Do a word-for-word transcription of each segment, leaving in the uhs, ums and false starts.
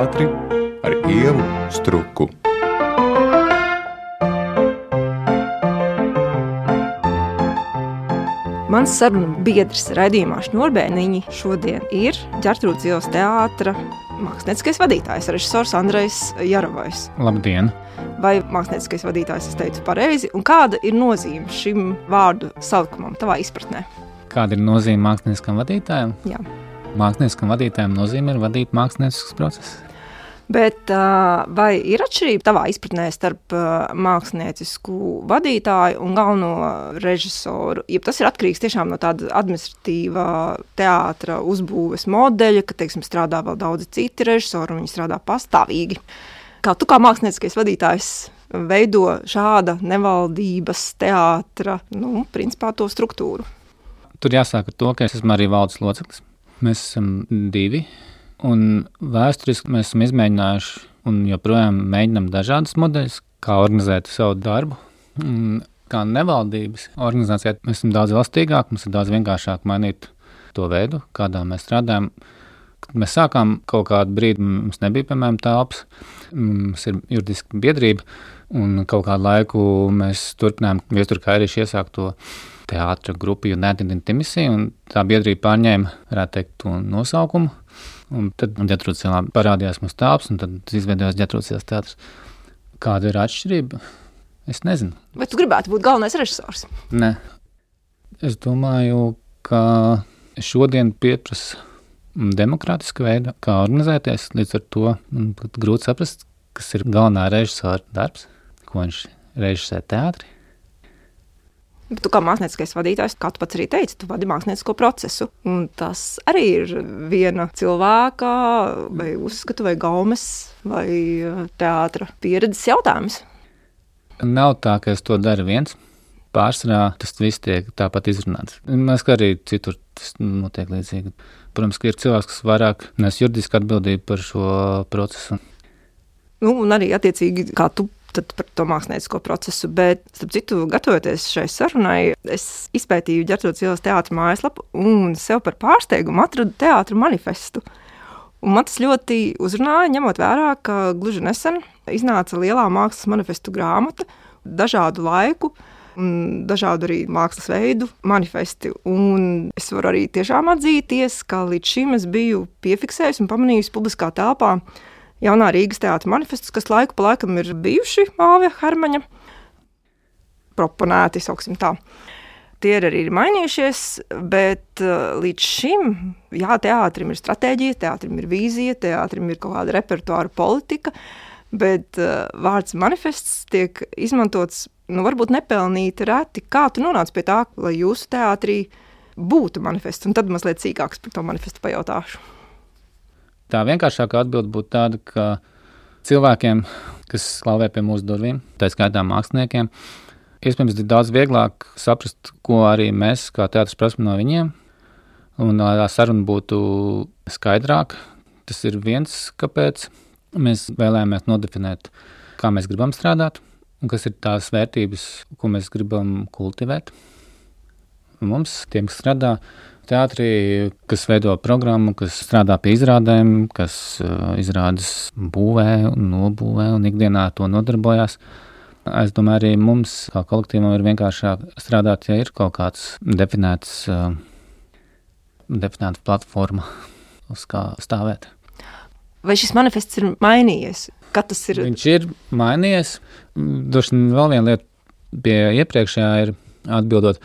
teātri ar Ievu Struku. Mans sarunu biedrs raidījumā Šņurbēniņi šodien ir Ģertrūdes ielas teātra mākslinieckais vadītājs, režisors Andrejs Jarovojs. Labdien! Vai mākslinieckais vadītājs es teicu pareizi? Un kāda ir nozīme šim vārdu salikumam tavā izpratnē? Kāda ir nozīme mākslinieskam vadītājam? Jā. Mākslinieskam vadītājam nozīme ir vadīt mākslinieckus procesus. Bet vai ir atšķirība tavā izpratnē starp māksliniecisku vadītāju un galveno režisoru? Ja tas ir atkarīgs tiešām no tāda administratīvā teātra uzbūves modeļa, ka, teiksim, strādā vēl daudzi citi režisori un viņi strādā pastāvīgi. Kā tu kā mākslinieckais vadītājs veido šāda nevaldības teātra, nu, principā to struktūru? Tur jāsāk ar to, ka es esmu arī valdes loceklis. Mēs esam divi, un vēsturiski mēs esam izmēģinājuši un joprojām mēģinām dažādas modeļus, kā organizēt savu darbu. Kā nevaldības organizācijā mēs esam daudz elastīgāk, mums ir daudz vienkāršāk mainīt to veidu, kādā mēs strādājam. Kad mēs sākām kaut kādu brīdi, mums nebija, piemēram, telpas, mums ir juridiska biedrība, un kaut kādu laiku mēs turpinājām Viestura Kairīša iesākto teātra grupu United Intimacy, un tā biedrība pārņēma, varētu teikt, to nosaukumu. Un tad Ģertrūdes ielā parādījās mums telpas, un tad izveidojās Ģertrūdes ielas teātris. Kāda ir atšķirība? Es nezinu. Vai tu gribētu būt galvenais režisors? Nē. Es domāju, ka šodien pieprasa demokrātiska veida, kā organizēties. Līdz ar to man grūti saprast, kas ir galvenā režisora darbs, ko viņš režisē teātri. Bet tu kā mākslinieckais vadītājs, kā tu pats arī teici, tu vadi māksliniecisko procesu. Un tas arī ir viena cilvēka vai uzskatu vai gaumes vai teātra pieredzes jautājums. Nav tā, ka es to daru viens. Pārsvarā tas viss tiek tāpat izrunāts. Mēs kā arī citur tas notiek līdzīgi. Protams, ka ir cilvēks, kas vairāk nes juridiski atbildību par šo procesu. Nu, un arī attiecīgi, kā tu tad par to māksliniecisko procesu, bet, starp citu, gatavoties šai sarunai, es izpētīju Ģertrūdes ielas teātra mājaslapu un sev par pārsteigumu atradu teātra manifestu. Un man tas ļoti uzrunāja, ņemot vērā, ka gluži nesen iznāca lielā mākslas manifestu grāmata, dažādu laiku un dažādu arī mākslas veidu manifesti. Un es varu arī tiešām atzīties, ka līdz šim es biju piefiksējusi un pamanījusi publiskā telpā jaunā Rīgas teātra manifestus, kas laiku pa laikam ir bijuši Āvija Hermaņa proponēti, sauksim tā. Tie ir arī mainījušies, bet līdz šim, jā, teātrim ir stratēģija, teātrim ir vīzija, teātrim ir kaut kāda repertuāra politika, bet vārds manifests tiek izmantots, nu, varbūt nepelnīti reti. Kā tu nonāc pie tā, lai jūsu teātrī būtu manifests? Un tad mazliet sīkāks par to manifestu pajautāšu. Tā vienkāršākā atbilde būtu tāda, ka cilvēkiem, kas klauvē pie mūsu durvīm, tā skaitā māksliniekiem, iespējams ir daudz vieglāk saprast, ko arī mēs kā teātris prasam no viņiem, un tā saruna būtu skaidrāka. Tas ir viens, kāpēc mēs vēlējāmies nodefinēt, kā mēs gribam strādāt, un kas ir tās vērtības, ko mēs gribam kultivēt. Mums, tiem, kas strādā teātrī, kas veido programmu, kas strādā pie izrādēm, kas uh, izrādes būvē un nobūvē un ikdienā to nodarbojās. Es domāju, arī mums, kā kolektīvam, ir vienkāršāk strādāt, ja ir kaut kāds definēts, uh, definēta platforma, uz kā stāvēt. Vai šis manifests ir mainījies? Kad tas ir? Viņš ir mainījies. Droši vēl viena lieta pie iepriekšējā ir atbildot.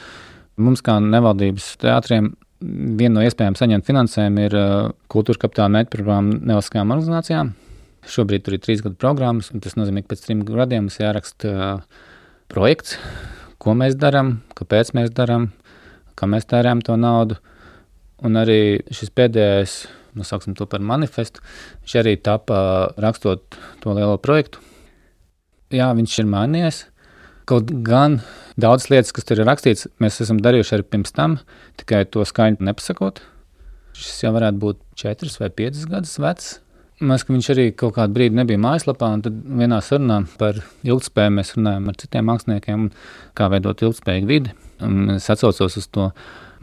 Mums kā nevaldības teātriem viena no iespējām saņemt finansējumu ir uh, kultūras kapitāla mērķprogramma nevalstiskajām organizācijām. Šobrīd tur ir trīs gadu programmas, un tas nozīmē, ka pēc trim gadiem mums jāraksta uh, projekts, ko mēs darām, kāpēc mēs darām, kā mēs tērējam to naudu. Un arī šis pēdējais, nosauksim to par manifestu, viņš arī tapa rakstot to lielo projektu. Jā, viņš ir mainījies. Kaut gan daudz lietas, kas tur ir rakstīts, mēs esam darījuši arī pirms tam, tikai to skaņu nepasakot. Šis jau varētu būt četras vai piecas gadus vecs. Mēs, ka viņš arī kaut kādu brīdi nebija mājaslapā, un tad vienā sarunā par ilgtspēju mēs runājam ar citiem māksliniekiem, kā veidot ilgtspējīgu vidi. Un es atsaucos uz to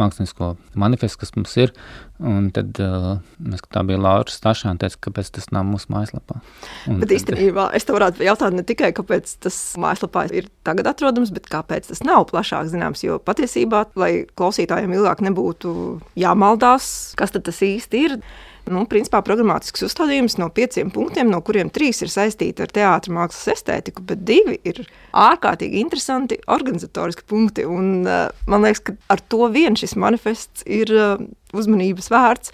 mākslinisko manifestu, kas mums ir. Un tad uh, mēs, tā bija Laura Stašāna, teica, kāpēc tas nav mūsu mājaslapā. Un bet īstenībā es te varētu jautāt ne tikai, kāpēc tas mājaslapā ir tagad atrodams, bet kāpēc tas nav plašāk zināms, jo patiesībā, lai klausītājiem ilgāk nebūtu jāmaldās, kas tad tas īsti ir. Nu, principā programmatisks uzstādījums no pieciem punktiem, no kuriem trīs ir saistīti ar teātra mākslas estētiku, bet divi ir ārkārtīgi interesanti organizatoriski punkti. Un, uh, man liekas, ka ar to vien šis manifests ir uh, uzmanības vērts.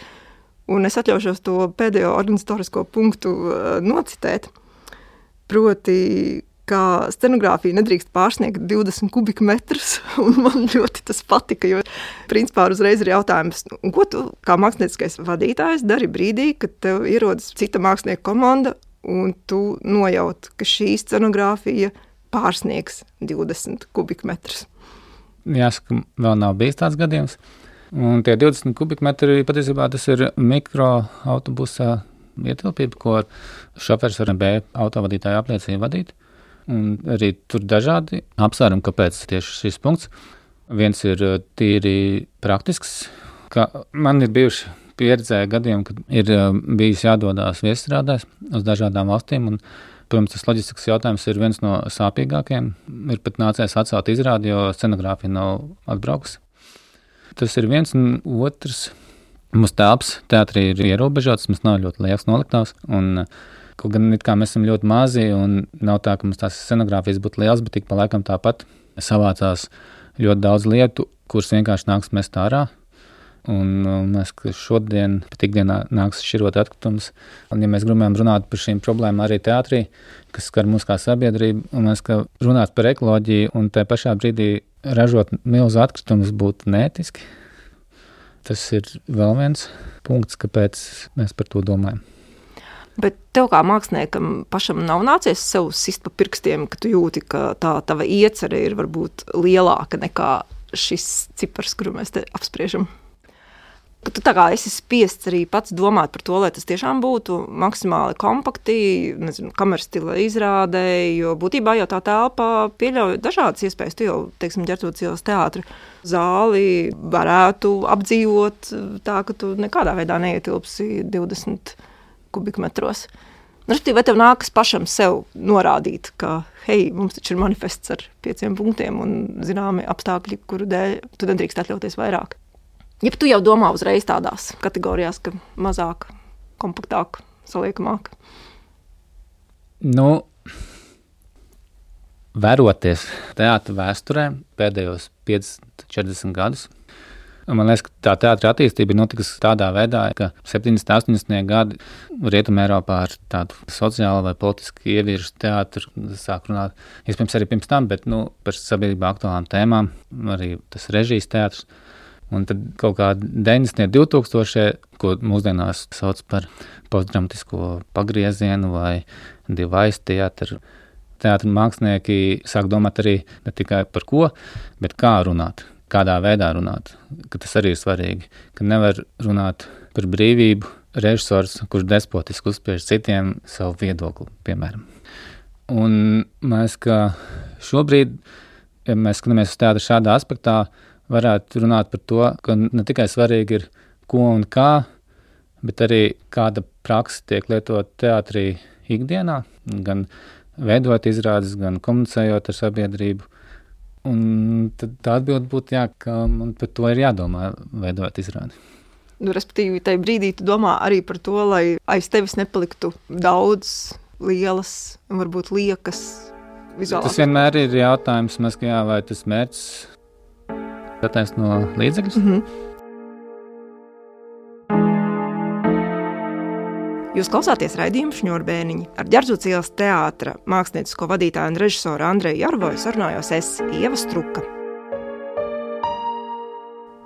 Un es atļaušos to pēdējo organizatorisko punktu uh, nocitēt. Proti, ka scenogrāfija nedrīkst pārsniegt divdesmit kubikmetrus, un man ļoti tas patika, jo principā uzreiz ir jautājums, un ko tu kā mākslinieckais vadītājs dari brīdī, kad tev ierodas cita mākslinieka komanda, un tu nojaut, ka šī scenogrāfija pārsniegs divdesmit kubikmetrus. Jāsaka, vēl nav bijis tāds gadījums, un tie divdesmit kubikmetri, patiesībā tas ir mikroautobusā ietilpība, ko šofers var B autovadītāju apliecību vadīt. Un arī tur dažādi apsvērumi, kāpēc tieši šis punkts. Viens ir tīri praktisks, ka man ir bijuši pieredzē gadījumi, kad ir bijis jādodās viesstrādēs uz dažādām valstīm, un, protams, tas loģistikas jautājums ir viens no sāpīgākajiem. Ir pat nācies atcelt izrādi, jo scenogrāfija nav atbraukusi. Tas ir viens, un otrs, mūsu telpas teātrī ir ierobežots, mums nav ļoti liels noliktavs, un kaut gan it kā mēs esam ļoti mazi un nav tā, ka mums tās scenogrāfijas būtu liels, bet tik pa laikam tāpat savācās ļoti daudz lietu, kuras vienkārši nāks mest ārā. Un mēs šodien, pat ikdienā nāks šķirot atkritumus. Un ja mēs gribam runāt par šīm problēmām arī teātrī, kas skar mūs kā sabiedrību, un mēs kā runāt par ekoloģiju un te pašā brīdī ražot milzu atkritumus būtu neētiski. Tas ir vēl viens punkts, kāpēc mēs par to domājam. Bet tev kā māksliniekam pašam nav nācies sev sist pa pirkstiem, ka tu jūti, ka tā tava iecerē ir varbūt lielāka nekā šis cipars, kuru mēs te apspriežam? Ka tu tā kā esi spiests arī pats domāt par to, lai tas tiešām būtu maksimāli kompakti, nezinu, kameras stila izrādē, jo būtībā jau tā telpa pieļauj dažādas iespējas. Tu jau, teiksim, Ģertrūdes ielas teātra zāli varētu apdzīvot tā, ka tu nekādā veidā neietilpsi divdesmit kubikmetros. Respektīvi, vai tev nākas pašam sev norādīt, ka, hei, mums taču ir manifests ar pieciem punktiem un zināmi apstākļi, kuru dēļ tu nedrīkst atļauties vairāk. Ja tu jau domā uzreiz tādās kategorijās, ka mazāk, kompaktāk, saliekamāk? Nu, vēroties teātra vēsturē pēdējos piecdesmit četrdesmit gadus, man liekas, ka tā teātra attīstība ir notikusi tādā veidā, ka septiņdesmit astoņdesmit gadi Rietumē Eiropā ar tādu sociālu vai politiski ievirzu teātru sāk runāt, iespējams arī pirms tam, bet nu, par sabiedrībā aktuālām tēmām, arī tas režijas teātrs. Un tad kaut kā deviņdesmitie, divtūkstošie, ko mūsdienās sauc par postdramatisko pagriezienu vai device teātru, teātra mākslinieki sāk domāt arī ne tikai par ko, bet kā runāt. Kādā veidā runāt, ka tas arī ir svarīgi, ka nevar runāt par brīvību režisors, kurš despotiski uzspiež citiem savu viedokli, piemēram. Un mēs, ka šobrīd, ja mēs skatāmies uz teātru šādā aspektā, varētu runāt par to, ka ne tikai svarīgi ir ko un kā, bet arī kāda praksa tiek lietot teātrī ikdienā, gan veidot izrādes, gan komunicējot ar sabiedrību. Un tad tā atbilde būtu, jā, ka man par to ir jādomā, veidot izrādi. Nu, respektīvi, tajā brīdī tu domā arī par to, lai aiz tevis nepaliktu daudz lielas un varbūt liekas vizuālās. Tas vienmēr ir jautājums, mēs, ka jā, vai tas mērķis attaisno līdzekļus. Mm-hmm. Jūs klausāties raidījumu Šņurbēniņi. Ar Ģertrūdes ielas teātra māksliniecisko vadītāju un režisoru Andreju Jarvoju sarunājos es, Ieva Struka.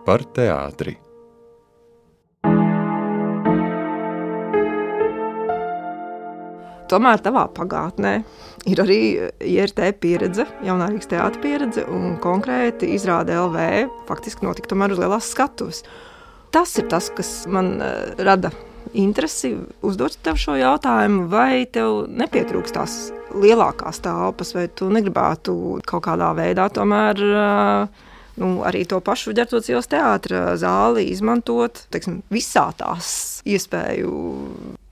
Par teātri. Tomēr tavā pagātnē ir arī I R T pieredze, Jaunā Rīgas teātra pieredze, un konkrēti izrāde L V faktiski notika tomēr uz lielās skatuves. Tas ir tas, kas man uh, rada interesi uzdot tev šo jautājumu, vai tev nepietrūkst tās lielākās telpas, vai tu negribētu kaut kādā veidā tomēr uh, nu, arī to pašu Ģertrūdes ielas teātra zāli izmantot, teiksim, visā tās iespēju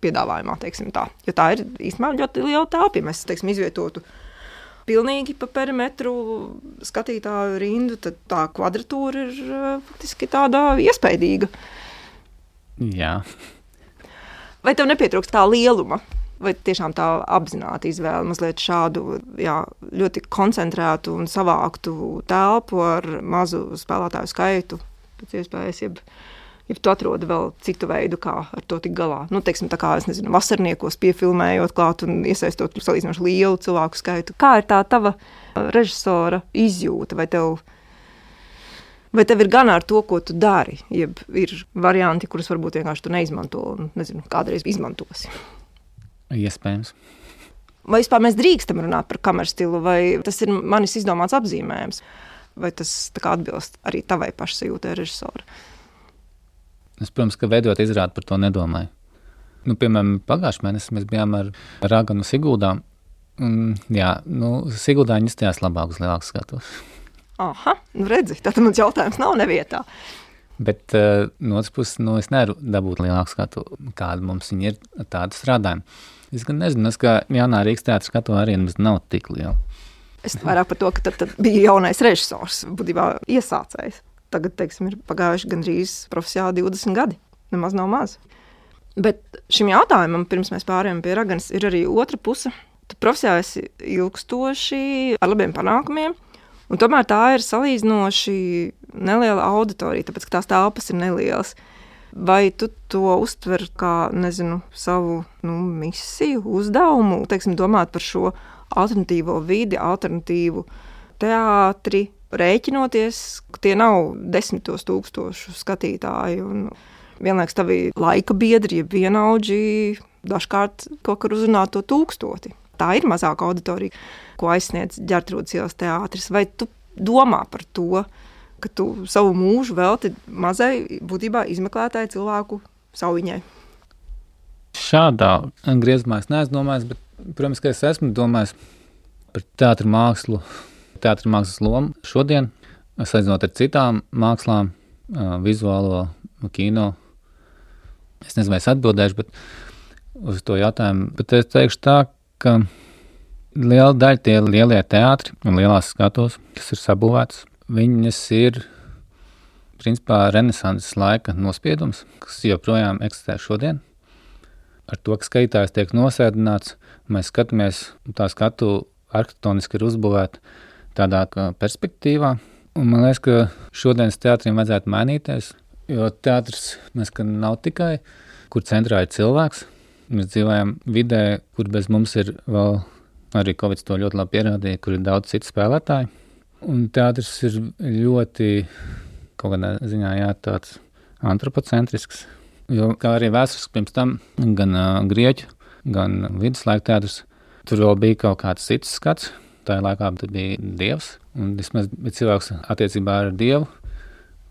piedāvājumā, teiksim tā. Jo tā ir īstenībā ļoti liela telpa, ja mēs, teiksim, izvietotu pilnīgi pa perimetru skatītāju rindu, tad tā kvadratūra ir faktiski tāda iespaidīga. Jā. Vai tev nepietrūkst tā lieluma? Vai tiešām tā apzināta izvēle mazliet šādu jā, ļoti koncentrētu un savāktu telpu ar mazu spēlētāju skaitu? Pēc iespējas, jeb, jeb tu atrodi vēl citu veidu, kā ar to tik galā. Nu, teiksim, tā kā, es nezinu, vasarniekos piefilmējot klāt un iesaistot salīdzinoši lielu cilvēku skaitu. Kā ir tā tava režisora izjūta? Vai tev, vai tev ir gan ar to, ko tu dari? Jeb ir varianti, kurus varbūt vienkārši tu neizmanto un, nezinu, kādreiz izmantosi? Iespējams. Vai vispār mēs drīkstam runāt par kameras stilu, vai tas ir manis izdomāts apzīmējums? Vai tas tā kā atbilst arī tavai pašsajūtai režisora? Es, protams, ka veidot izrādi par to nedomāju. Nu, piemēram, pagājušajā mēnesī mēs bijām ar Raganu Siguldā. Un, jā, nu, Siguldā viņi izstājās labāk uz lielāku skatos. Aha, nu redzi, tātad mans jautājums nav nevietā. Bet uh, no otras puses, nu, es nevaru dabūt lielāku skatu, kāda mums viņi ir tāda strādājuma. Es gan nezinu, es kā jaunā Rīgas teātra skatu arī nemaz nav tik liela. Es vairāk par to, ka tad, tad bija jaunais režisors, būtībā iesācējs. Tagad, teiksim, ir pagājuši gandrīz profesionāli divdesmit gadi. Nemaz nav maz. Bet šim jautājumam, pirms mēs pārējām pie Raganas, ir arī otra puse. Tu profesionāli esi ilgstoši ar labiem panākumiem, un tomēr tā ir salīdzinoši neliela auditorija, tāpēc, ka tās telpas ir nelielas. Vai tu to uztver kā, nezinu, savu nu, misiju, uzdevumu, teiksim, domāt par šo alternatīvo vidi, alternatīvu teātri, rēķinoties, ka tie nav desmitos tūkstošu skatītāji un vienlaiks tavi laika biedri, ja vienaudži dažkārt kaut kur uzrunā to tūkstoti. Tā ir mazāka auditorija, ko aizsniedz Ģertrūdes ielas teātris. Vai tu domā par to, ka tu savu mūžu velti mazai, būtībā izmeklētāji cilvēku sauiņai? Šādā griezumā es neesmu domājis, bet, protams, ka es esmu domājis par teātra mākslu, teātra mākslas lomu šodien, salīdzinot ar citām mākslām, vizuālo, kino. Es nezinu, vai es atbildēšu, bet uz to jautājumu, bet es teikšu tā, ka liela daļa tie lielie teātri un lielās skatos, kas ir sabūvētas, viņas ir, principā, renesanses laika nospiedums, kas joprojām eksistē šodien. Ar to, ka skatītājs tiek nosēdināts, mēs skatāmies, tā skatu arhitektoniski ir uzbūvēta tādā perspektīvā. Un man liekas, ka šodienas teātriem vajadzētu mainīties, jo teātris mēs, ka nav tikai, kur centrā ir cilvēks. Mēs dzīvojam vidē, kur bez mums ir vēl, arī Covid to ļoti labi pierādīja, kur ir daudz citu spēlētāju. Un teātris ir ļoti, kaut kādā ziņā, jā, tāds antropocentrisks. Jo, kā arī vēsturiski pirms tam, gan uh, grieķu, gan viduslaika teātris, tur vēl bija kaut kāds cits skats. Tā laikā tur bija dievs, un vismaz cilvēks attiecībā ar dievu.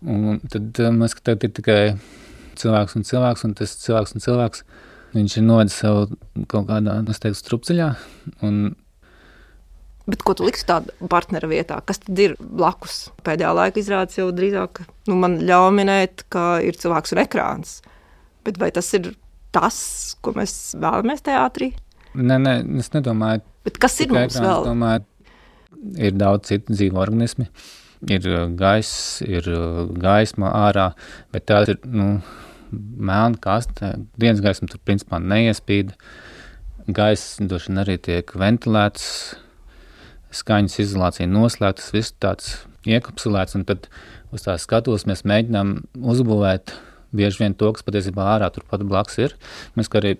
Un tad uh, mēs, ka tagad ir tikai cilvēks un cilvēks, un tas cilvēks un cilvēks, viņš ir novedis savu kaut kādā, es teiktu, strupceļā. Un bet ko tu liksi tādu partnera vietā? Kas tad ir blakus? Pēdējā laika izrādes jau drīzāk, nu, man ļauj minēt, ka ir cilvēks un ekrāns. Bet vai tas ir tas, ko mēs vēlamies teātrī? Nē, nē, es nedomāju. Bet kas ir mums ekrāns, vēl? Domāju, ir daudz citu dzīvu organismi. Ir gaiss, ir gaisma ārā, bet tā ir, nu, melna kaste. Dienas gaisma tur principā neiespīd. Gaiss droši vien arī tiek ventilēts, skaņas izolācija noslēgta, tas viss tāds iekapsulēts, un tad uz tās skatos mēs mēģinām uzbūvēt bieži vien to, kas patiesībā ārā turpat blakus ir. Mēs, kā arī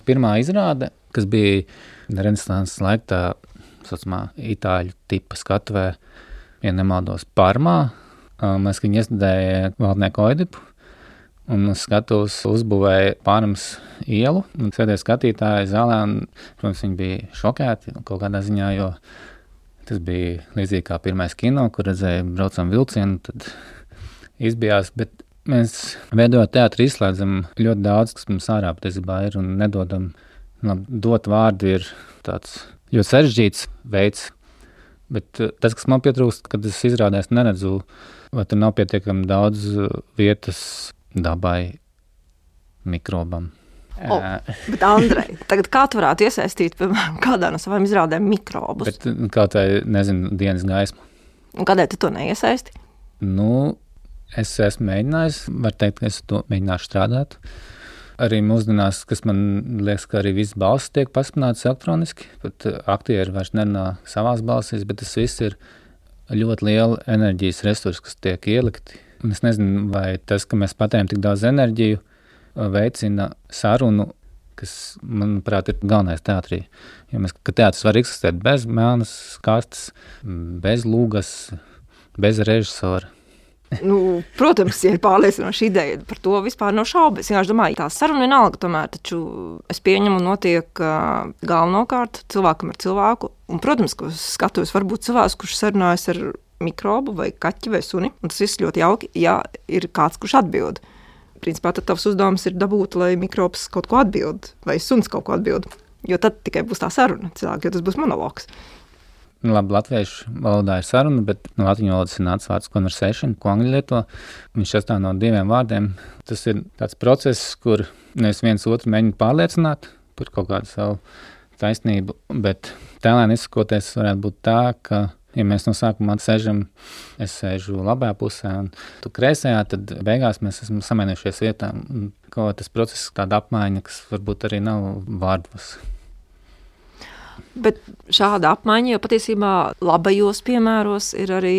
pirmā izrāde, kas bija renesanses laika tā saucamā itāļu tipa skatuvē, ja nemaldos Parmā, mēs viņu iestudēja valdnieku Oidipu, un skatos uzbūvēja Pārmas ielu, un sēdēja skatītāji zālē, un, protams, viņi bija šokēti kaut kādā ziņā, jo tas bija līdzīgi kā pirmais kino, kur redzēja braucam vilcienu, tad izbijās, bet mēs veidojot teātri izslēdzam ļoti daudz, kas mums ārā patiesībā ir, un nedodam, labi, dot vārdu ir tāds ļoti sarežģīts veids, Bet tas, kas man pietrūkst, kad es izrādēs neredzu, vai tur nav pietiekami daudz vietas dabai, mikrobam. O, bet, Andrej, tagad kā tu varētu iesaistīt, piemēram, kādā no savām izrādēm mikrobus? Bet kā tā, nezinu, dienas gaismu. Un kādēļ tu to neiesaisti? Nu, es esmu mēģinājis, var teikt, ka es to mēģināšu strādāt. Arī mūsdienās, kas man liekas, ka arī viss balss tiek paspināts elektroniski, pat aktieri vairs nerunā savās balsīs, bet tas viss ir ļoti liela enerģijas resursi, kas tiek ielikti. Un es nezinu, vai tas, ka mēs patērējam tik daudz enerģiju, veicina sarunu, kas, manuprāt, ir galvenais teātrī. Jo mēs, ka teātris var eksistēt bez melnas kastes, bez lūgas, bez režisora. Nu, protams, ja ir pārliecinoša ideja, par to vispār nav šaubu. Es vienkārši domāju, tā saruna vienalga tomēr, taču es pieņemu notiek uh, galvenokārt cilvēkam ar cilvēku. Un, protams, ka skatos varbūt cilvēks, kurš sarunājas ar mikrobu vai kaķi vai suni, un tas viss ļoti jauki, ja ir kāds, kurš atbild. Principā tad tavs uzdevums ir dabūt, lai mikrobs kaut ko atbild, vai suns kaut ko atbild, jo tad tikai būs tā saruna cilvēki, jo tas būs monologs. Labi, latviešu valodā ir saruna, bet no latviešu valodas ir nācis vārds conversation, ko angļu lieto. Viņš sastāv no diviem vārdiem. Tas ir tāds process, kur nevis viens otru mēģina pārliecināt par kaut kādu savu taisnību, bet tēlēni izsakoties varētu būt tā, ka, ja mēs no sākumā sēžam, es sēžu labajā pusē un tu kreisajā, tad beigās mēs esam samainījušies vietām. Kaut tas process tāda apmaiņa, kas varbūt arī nav vārdos. Bet šāda apmaiņa jau patiesībā labajos piemēros ir arī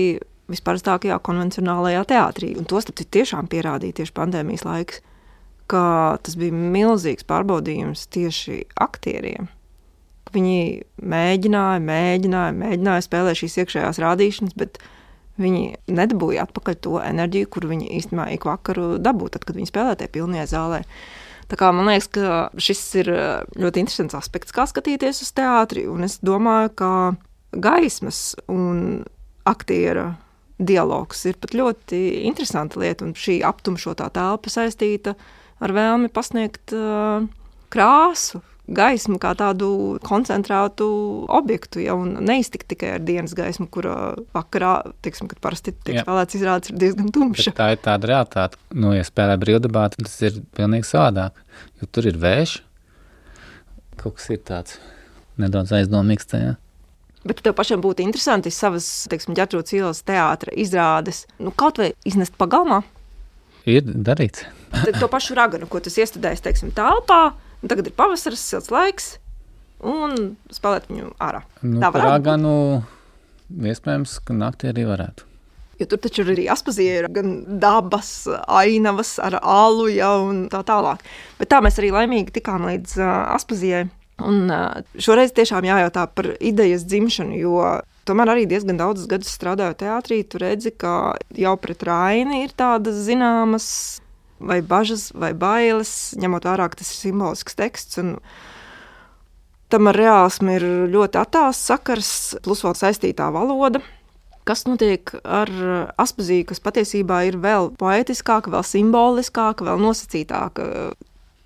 visparastākajā konvencionālajā teātrī. Un to starp tiešām pierādīja tieši pandēmijas laiks, ka tas bija milzīgs pārbaudījums tieši aktieriem. Viņi mēģināja, mēģināja, mēģināja spēlēt šīs iekšējās rādīšanas, bet viņi nedabūja atpakaļ to enerģiju, kuru viņi īstenībā ik vakaru dabūja, tad, kad viņi spēlē tajā pilnajā zālē. Tā kā man liekas, ka šis ir ļoti interesants aspekts, kā skatīties uz teātri, un es domāju, ka gaismas un aktiera dialogs ir pat ļoti interesanta lieta, un šī aptumšotā telpa saistīta ar vēlmi pasniegt uh, krāsu, gaismu kā tādu koncentrētu objektu, ja, un neiztikt tikai ar dienas gaismu, kura vakarā, teiksim, kad parasti tiek spēlēts izrādes, ir diezgan tumša. Bet tā ir tāda realitāte. Nu, ja spēlē brīvdabāti, tas ir pilnīgi savādāk, jo tur ir vējš, kaut kas ir tāds nedaudz aizdomīgs tajā. Bet tev pašam būtu interesanti savas, teiksim, Ģertrūdes ielas teātra izrādes, nu, kaut vai iznest pagalmā? Ir darīts. Tad to pašu raganu, ko tu iestudējies, teiksim, telpā, un tagad ir pavasaras, silts laiks, un spēlēt viņu ārā. Nu, tā varētu raganu, iespējams, ka naktī arī varētu. Jo tur taču arī Aspazijā ir gan dabas, ainavas ar alu, ja, un tā tālāk. Bet tā mēs arī laimīgi tikām līdz uh, Aspazijai. Un uh, šoreiz tiešām jājautā par idejas dzimšanu, jo tomēr arī diezgan daudzus gadus strādāju teātrī, tu redzi, ka jau pret Raini ir tādas zināmas vai bažas, vai bailes, ņemot vērā, ka tas ir simbolisks teksts, un tam ar reālismu ir ļoti attāls sakars, plus vēl saistītā valoda. Kas notiek ar Aspaziju, kas patiesībā ir vēl poetiskāka, vēl simboliskāka, vēl nosacītāka?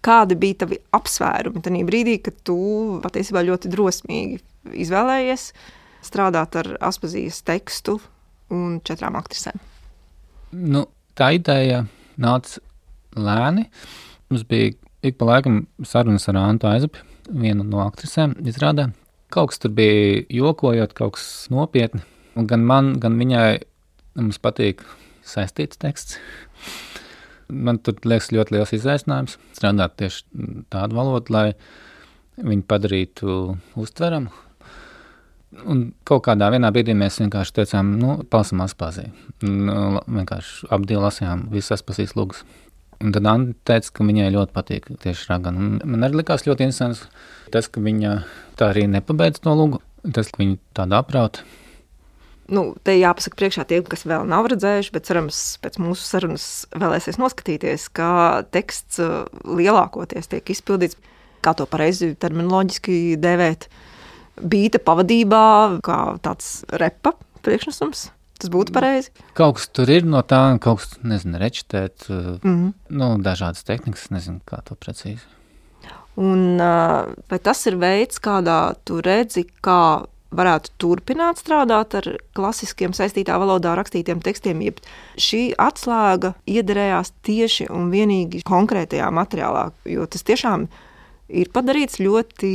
Kādi bija tavi apsvērumi tajā brīdī, kad tu patiesībā ļoti drosmīgi izvēlējies strādāt ar Aspazijas tekstu un četrām aktrisēm? Nu, tā ideja nāca lēni. Mums bija ik pa laikam sarunas ar Antu Aizapi, vienu no aktrisēm izrādē. Kaut kas tur bija jokojot, kaut kas nopietni. Un gan man, gan viņai mums patīk saistīts teksts. Man tur liekas ļoti liels izaicinājums strādāt tieši tādu valodu, lai viņu padarītu uztveramu. Un kaut kādā vienā brīdī mēs vienkārši teicām, nu, palasam Aspaziju. Nu, vienkārši ap divu lasījām visas Aspazijas lūgas. Un tad Anna teica, ka viņai ļoti patīk tieši ragana. Un man arī likās ļoti interesants tas, ka viņa tā arī nepabeidz to lūgu. Tas, ka viņa tāda aprauta. Nu, te jāpasaka priekšā tiem, kas vēl nav redzējuši, bet cerams, pēc mūsu sarunas vēlēsies noskatīties, ka teksts lielākoties tiek izpildīts, kā to pareizi terminoloģiski dēvēt, bīta pavadībā, kā tāds repa priekšnesums. Tas būtu pareizi. Kaut kas tur ir no tā, kaut kas, nezinu, rečitēt, mm-hmm. nu, dažādas tehnikas, nezinu, kā to precīzi. Un vai tas ir veids, kādā tu redzi, kā varētu turpināt strādāt ar klasiskiem saistītā valodā rakstītiem tekstiem, jeb šī atslēga iederējās tieši un vienīgi konkrētajā materiālā, jo tas tiešām ir padarīts ļoti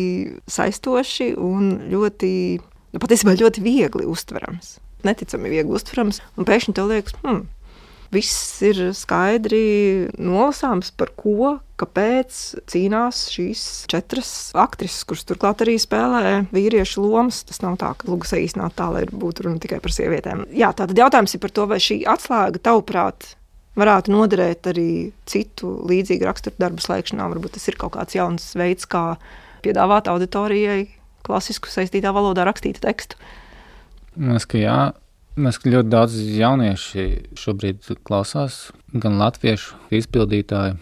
saistoši un ļoti, nu, patiesībā ļoti viegli uztverams. Neticami viegli uztverams, un pēkšņi tev liekas, hmm, viss ir skaidri nolasāms, par ko, kāpēc cīnās šīs četras aktrises, kuras turklāt arī spēlē vīriešu lomas. Tas nav tā, ka lūgu saīsināt tā, lai būtu runa tikai par sievietēm. Jā, tātad jautājums ir par to, vai šī atslēga, tavuprāt, varētu noderēt arī citu līdzīgu raksturu darbu slēgšanā. Varbūt tas ir kaut kāds jauns veids, kā piedāvāt auditorijai klasisku saistītā valodā rakstītu tekstu. Mēs, ka jā. Mēs ļoti daudz jaunieši šobrīd klausās, gan latviešu izpildītāji,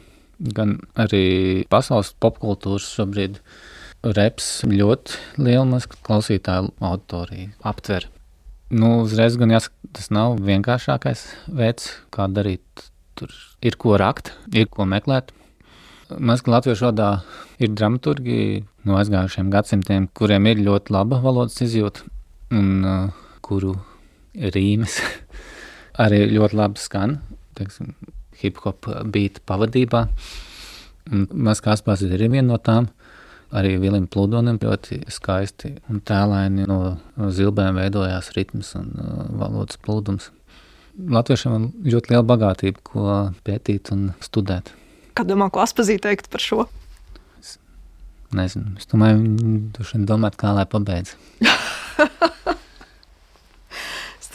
gan arī pasaules popkultūras šobrīd reps ļoti lielu mazku klausītāju auditoriju aptver. Nu, uzreiz gan jāsaka, tas nav vienkāršākais veids, kā darīt. Tur ir ko rakt, ir ko meklēt. Mēs, ka latviešu valodā ir dramaturgi no aizgājušiem gadsimtiem, kuriem ir ļoti laba valodas izjūta un uh, kuru rīmes arī ļoti labi skan, teiksim, hip-hop beat pavadībā. Un mēs kā Aspārs ir viena no tām, arī Vilim Plūdonim ļoti skaisti un tēlaini no zilbēm veidojās ritms un uh, valodas plūdums. Latviešiem ir ļoti liela bagātība, ko pētīt un studēt. Kā domā, ko Aspazī teikt par šo? Es nezinu, es domāju, viņi domāt, kā lai pabeidz.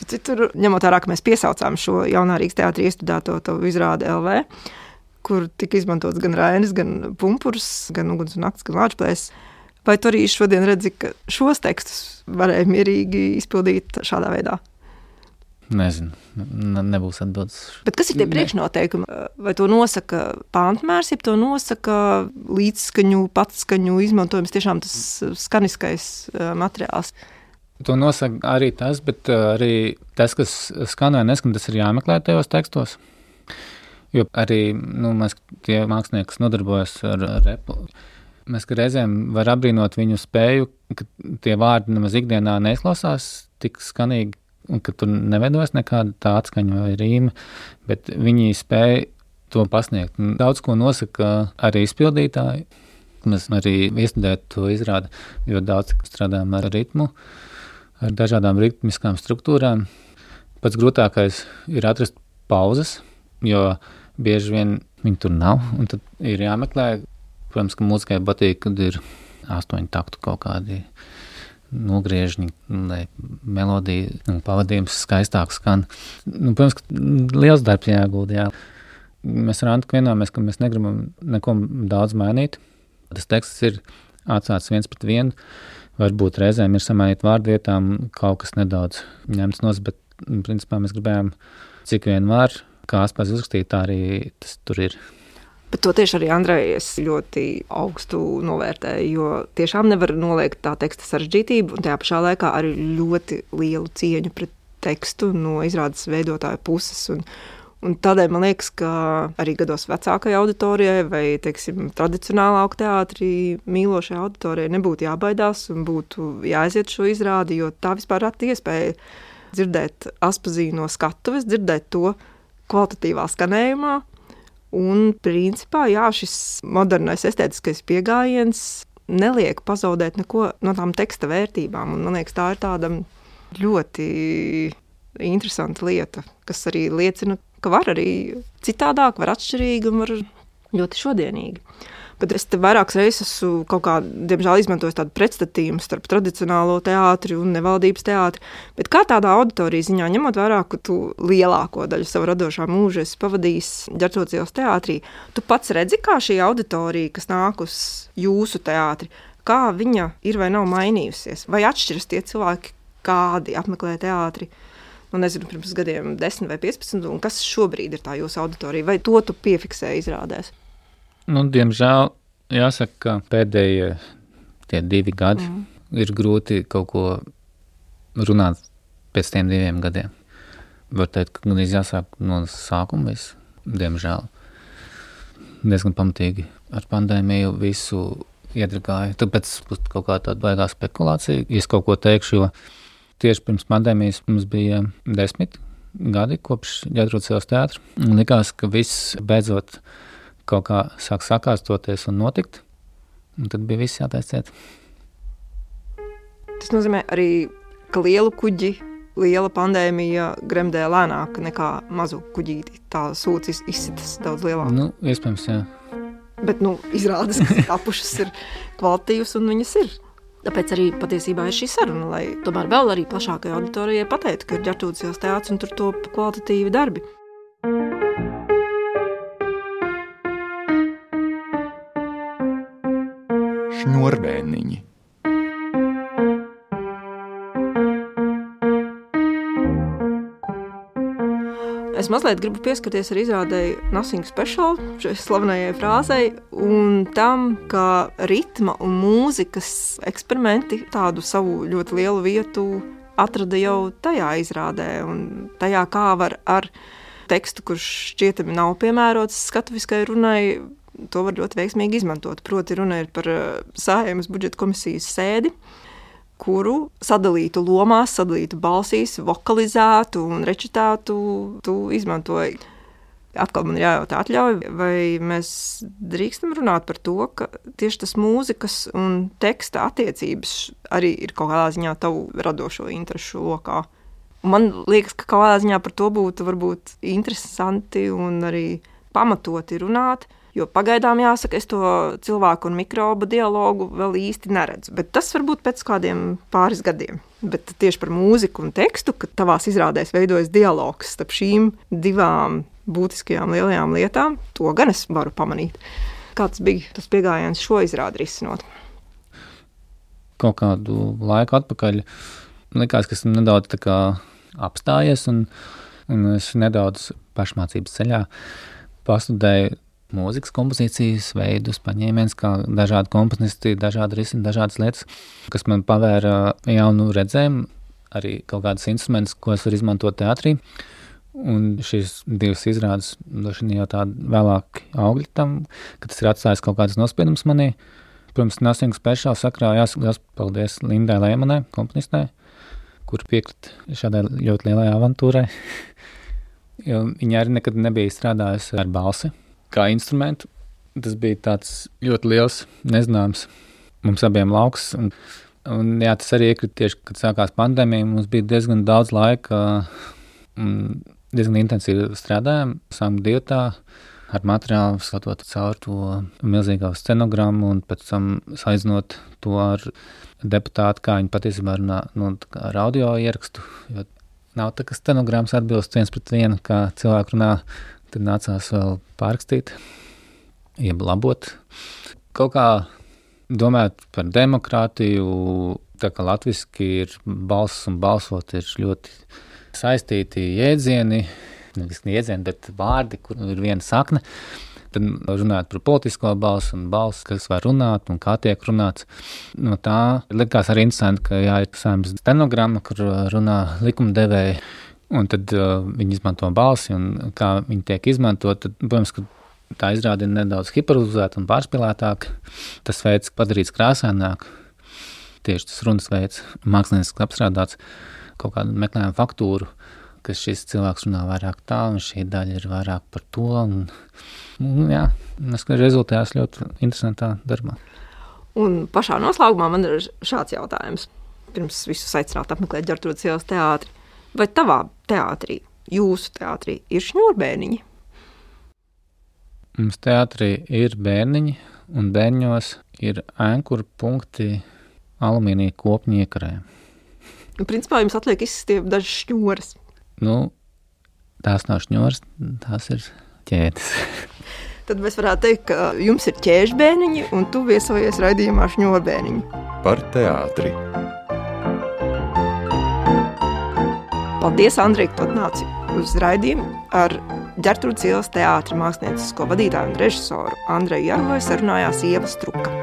Citur, ņemot vērā, ka mēs piesaucām šo jaunā Rīgas teātrī iestudēto izrādi L V, kur tika izmantots gan Rainis, gan Pumpurs, gan Uguns un nakts, gan Lāčplēs. Vai tu arī šodien redzi, ka šos tekstus varēja mierīgi izpildīt šādā veidā? Nezinu, ne, nebūs atbildes. Bet kas ir tie priekšnoteikumi? Vai to nosaka pāntmērs, ja to nosaka līdzskaņu, patskaņu izmantojums, tiešām tas skaniskais materiāls? To nosaka arī tas, bet arī tas, kas skan vai neskan, tas ir jāmeklē tajos tekstos. Jo arī nu, mēs, tie mākslinieki, kas nodarbojas ar repu, mēs reizēm var apbrīnot viņu spēju, ka tie vārdi nemaz ikdienā neizklausās tik skanīgi, un ka tur neveidojas nekāda tā atskaņa vai rīma, bet viņi spēja to pasniegt. Un daudz ko nosaka arī izpildītāji. Mēs arī iestudējot to izrādi, jo daudz strādājam ar ritmu, ar dažādām ritmiskām struktūrām. Pats grūtākais ir atrast pauzes, jo bieži vien viņi tur nav, un tad ir jāmeklē. Protams, ka mūzikai patīk, kad ir astoņu taktu kaut kādi nogriežņi, lai melodija un pavadījums skaistāk skan. Nu, protams, ka liels darbs jāgulda, jā. Mēs ar Antu vienojamies, ka mēs negribam neko daudz mainīt. Tas teksts ir atstāts viens pret vienu. Varbūt reizēm ir samainīt vārdu vietām, kaut kas nedaudz ņemts nos, bet principā mēs gribējām cik vien var, kā Aspārs uzrakstīt, tā arī tas tur ir. Bet to tieši arī Andrei es ļoti augstu novērtēju, jo tiešām nevar noliegt tā teksta sarežģītību un tajā pašā laikā arī ļoti lielu cieņu pret tekstu no izrādes veidotāja puses. Un, un tādēļ man liekas, ka arī gados vecākai auditorijai vai, teiksim, tradicionālā teātrī mīlošai auditorijai nebūtu jābaidās un būtu jāaiziet šo izrādi, jo tā vispār rata iespēja dzirdēt Aspazī no skatuves, dzirdēt to kvalitatīvā skanējumā. Un principā, jā, šis modernais estētiskais pieejams neliek pazaudēt neko no tām teksta vērtībām. Un man liekas, tā ir tāda ļoti interesanta lieta, kas arī liecina, ka var arī citādāk, var atšķirīgi un var ļoti šodienīgi. Bet es te vairākas reizes esmu kaut kā, diemžēl, izmantojis tādu pretstatījumu starp tradicionālo teātri un nevaldības teātri. Bet kā tādā auditorijas ziņā, ņemot vērā, ka tu lielāko daļu savu radošā mūža esi pavadījis Ģertrūdes ielas teātrī, tu pats redzi, kā šī auditorija, kas nāk uz jūsu teātri, kā viņa ir vai nav mainījusies? Vai atšķiras tie cilvēki, kādi apmeklē teātri? Nu, nezinu, pirms gadiem desmit vai piecpadsmit, un kas šobrīd ir tā jūsu auditorija? Vai to tu piefiksēji izrādēs? Nu, diemžēl jāsaka, ka pēdējie tie divi gadi mm. ir grūti kaut ko runāt pēc tiem diviem gadiem. Var teikt, ka gan jāsāk no sākuma visu, diemžēl. Diezgan pamatīgi ar pandēmiju visu iedragāja. Tāpēc būs kaut kā tāda baigā spekulācija, ja es kaut ko teikšu, jo tieši pirms pandēmijas mums bija desmit gadi kopš Ģertrūdes ielas teātra. Likās, ka viss beidzot kaut kā sāk sakārtoties un notikt, un tad bija viss jātaisa ciet. Tas nozīmē arī, ka lielu kuģi, liela pandēmija gremdē lēnāk nekā mazu kuģīti. Tā sūcis izsitas daudz lielāk. Nu, iespējams, jā. Bet, nu, izrādas, ka tapušas ir kvalitīvas un viņas ir. Tāpēc arī patiesībā ir šī saruna, lai tomēr vēl arī plašākai auditorijai pateiktu, ka ir Ģertrūdes ielas teātris un tur top kvalitatīvi darbi. Šņurbēniņi. Es mazliet gribu pieskarties ar izrādēji Nothing Special, šai slavenajai frāzei, un tam, ka ritma un mūzikas eksperimenti tādu savu ļoti lielu vietu atrada jau tajā izrādē, un tajā kā var ar tekstu, kurš šķietami nav piemērots skatuviskai runai, to var ļoti veiksmīgi izmantot. Proti runa ir par Saeimas budžeta komisijas sēdi, kuru sadalītu lomās, sadalītu balsīs, vokalizētu un rečitētu, tu izmantoji. Atkal man ir jājautā atļauj, vai mēs drīkstam runāt par to, ka tieši tas mūzikas un teksta attiecības arī ir kaut kādā ziņā tavu radošo interešu lokā. Un man liekas, ka kaut kādā ziņā par to būtu varbūt interesanti un arī pamatoti runāt, jo pagaidām jāsaka, es to cilvēku un mikrobu dialogu vēl īsti neredzu. Bet tas varbūt pēc kādiem pāris gadiem. Bet tieši par mūziku un tekstu, ka tavās izrādēs veidojas dialogs starp šīm divām būtiskajām lielajām lietām, to gan es varu pamanīt. Kāds bija tas piegājiens šo izrādi risinot? Kaut kādu laiku atpakaļ likās, ka esmu nedaudz tā kā apstājies un, un es nedaudz pašmācības ceļā pastudēju mūzikas kompozīcijas veidus, paņēmienus, kā dažādi komponisti, dažādi risini, dažādas lietas, kas man pavēra jaunu redzējumu, arī kaut kādas instrumentus, ko es varu izmantot teātrī. Un šīs divas izrādes došana jau tādi vēlāk augļi tam, ka tas ir atstājis kaut kādas nospiedumus manī. Protams, Nothing Special sakrā jāsaka paldies Lindai Lēmanai, komponistē, kur piekrita šādai ļoti lielai avantūrai. Jo viņa arī nekad nebija strādājusi ar balsi kā instrumentu. Tas bija tāds ļoti liels nezināms mums abiem lauks. Un, un jā, tas arī iekrita tieši, kad sākās pandēmija. Mums bija diezgan daudz laika un diezgan intensīvi strādājām. Sākam dietā ar materiālu, skatot caur to milzīgā scenogrammu un pēc tam saizinot to ar deputātu, kā viņi patiesībā runā, nu, ar audio ierakstu. Jo nav tā, ka stenogrammas atbilst viens pret vienu, kā cilvēku runā. Tad nācās vēl pārrakstīt, jeb labot. Kaut kā domāt par demokrātiju, tā kā latviski ir balss un balsot ir ļoti saistīti jēdzieni, nevis jēdzieni, bet vārdi, kur ir viena sakne. Tad runāt par politisko balsu un balsu, kas var runāt un kā tiek runāts. No tā likās arī interesanti, ka jā, ir Saeimas stenogramma, kur runā likumdevēji. Un tad uh, viņi izmanto balsi un kā viņi tiek izmantot, tad, protams, ka tā izrāda ir nedaudz hiperizēta un pārspilētāk. Tas veids padarīts krāsaināk, tieši tas runas veids, māksliniski apstrādāts, kaut kādu meklējumu faktūru, ka šis cilvēks runā vairāk tā un šī daļa ir vairāk par to. Un, un jā, es rezultējās ļoti interesantā darbā. Un pašā noslēgumā man ir šāds jautājums. Pirms visus aicināt apmeklēt Ģertrūdes ielas teātri. Vai tavā teātrī, jūsu teātrī, ir šņurbēniņi? Mums teātrī ir bērniņi, un bērņos ir ēnkuru punkti alumīnija kopņu iekarē. Principā jums atliek izstiep dažas šņoras. Nu, tās nav šņoras, tās ir ķēdes. Tad mēs varētu teikt, ka jums ir ķēžbēniņi, un tu viesojies raidījumā šņurbēniņi. Par teātri. Paldies, Andrej, ka tu atnāci uz raidījumu ar Ģertrūdes ielas teātra māksliniecisko vadītāju un režisoru Andreju Jaroju sarunājās Ieva Struka.